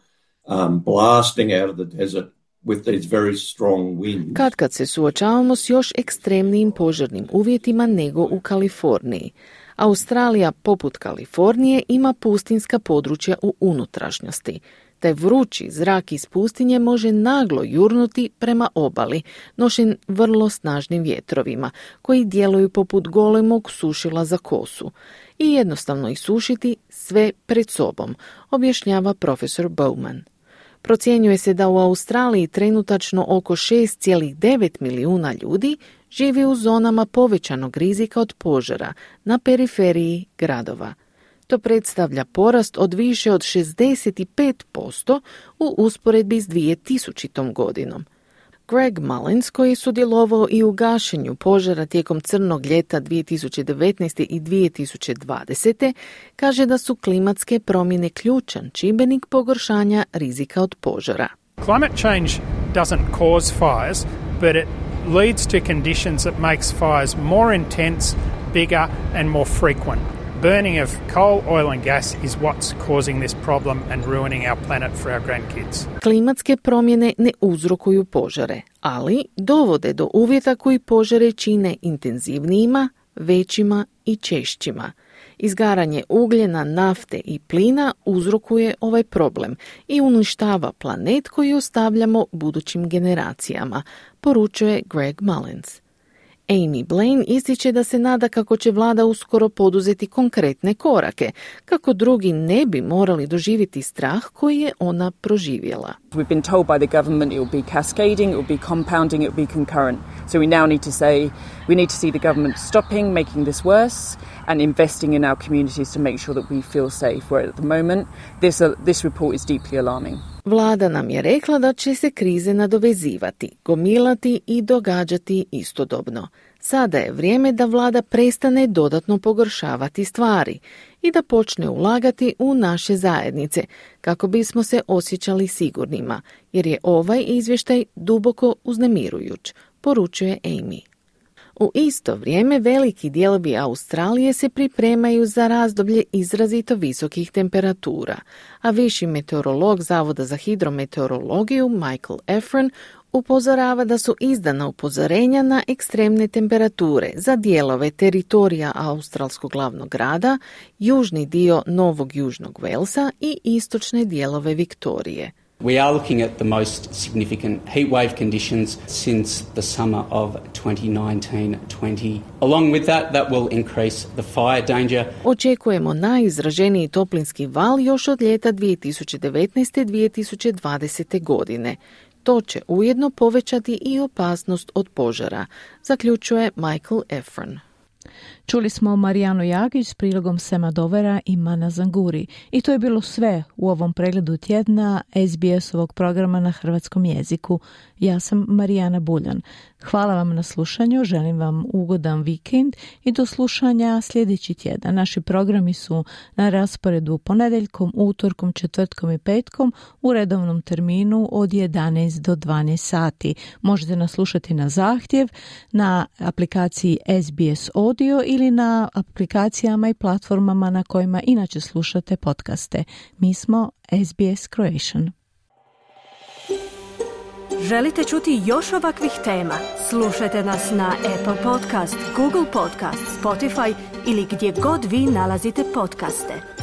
[SPEAKER 1] um, blasting out of the desert with these very strong winds.
[SPEAKER 16] Kad kad se suočavamo s još ekstremnijim požarnim uvjetima nego u Kaliforniji. Australija, poput Kalifornije, ima pustinska područja u unutrašnjosti. Taj vrući zrak iz pustinje može naglo jurnuti prema obali, nošen vrlo snažnim vjetrovima, koji djeluju poput golemog sušila za kosu, i jednostavno isušiti sve pred sobom, objašnjava profesor Bowman. Procjenjuje se da u Australiji trenutačno oko šest zarez devet milijuna ljudi živi u zonama povećanog rizika od požara na periferiji gradova. To predstavlja porast od više od šezdeset pet posto u usporedbi s dvije tisućitom. godinom. Greg Mullins, koji je sudjelovao i u gašenju požara tijekom crnog ljeta dvije tisuće devetnaeste. i dvije tisuće dvadesete. kaže da su klimatske promjene ključan čimbenik pogoršanja rizika od požara.
[SPEAKER 2] Climate change doesn't cause fires, but it leads to conditions that makes fires more intense, bigger and more frequent. Burning of coal, oil and gas is what's causing this problem and ruining our planet for our grandkids.
[SPEAKER 16] Klimatske promjene ne uzrokuju požare, ali dovode do uvjeta koji požare čine intenzivnijima, većima i češćima. Izgaranje ugljena, nafte i plina uzrokuje ovaj problem i uništava planet koji ostavljamo budućim generacijama, poručuje Greg Mullins. Amy Blaine ističe da se nada kako će vlada uskoro poduzeti konkretne korake, kako drugi ne bi morali doživjeti strah koji je ona proživjela.
[SPEAKER 23] We've been told by the government it will be cascading, it will be compounding, it will be concurrent. So we now need to say, we need to see the government stopping making this worse and investing in our communities to make sure that we feel safe. Where at the moment, this, uh, this report is deeply alarming.
[SPEAKER 16] Vlada nam je rekla da će se krize nadovezivati, gomilati i događati istodobno. Sada je vrijeme da vlada prestane dodatno pogoršavati stvari i da počne ulagati u naše zajednice kako bismo se osjećali sigurnima, jer je ovaj izvještaj duboko uznemirujuć, poručuje Amy. U isto vrijeme veliki dijelovi Australije se pripremaju za razdoblje izrazito visokih temperatura, a viši meteorolog Zavoda za hidrometeorologiju Michael Efron upozorava da su izdana upozorenja na ekstremne temperature za dijelove teritorija australskog glavnog grada, južni dio Novog Južnog Walesa i istočne dijelove Viktorije.
[SPEAKER 5] We are looking at the most significant heat wave conditions since the summer of twenty nineteen twenty. Along with that, that will increase the fire danger.
[SPEAKER 16] Očekujemo najizraženiji toplinski val još od ljeta dvije tisuće devetnaeste dvije tisuće dvadesete godine. To će ujedno povećati i opasnost od požara, zaključuje Michael Efron.
[SPEAKER 3] Čuli smo Marijanu Jagić s prilogom Sema Dovera i Mana Zanguri. I to je bilo sve u ovom pregledu tjedna S B S-ovog programa na hrvatskom jeziku. Ja sam Marijana Buljan. Hvala vam na slušanju, želim vam ugodan vikend i do slušanja sljedeći tjedan. Naši programi su na rasporedu ponedjeljkom, utorkom, četvrtkom i petkom u redovnom terminu od jedanaest do dvanaest sati. Možete nas slušati na zahtjev na aplikaciji S B S Audio ili na aplikacijama i platformama na kojima inače slušate podcaste. Mi smo S B S Croatian.
[SPEAKER 6] Želite čuti još ovakvih tema? Slušajte nas na Apple Podcast, Google Podcast, Spotify ili gdje god vi nalazite podcaste.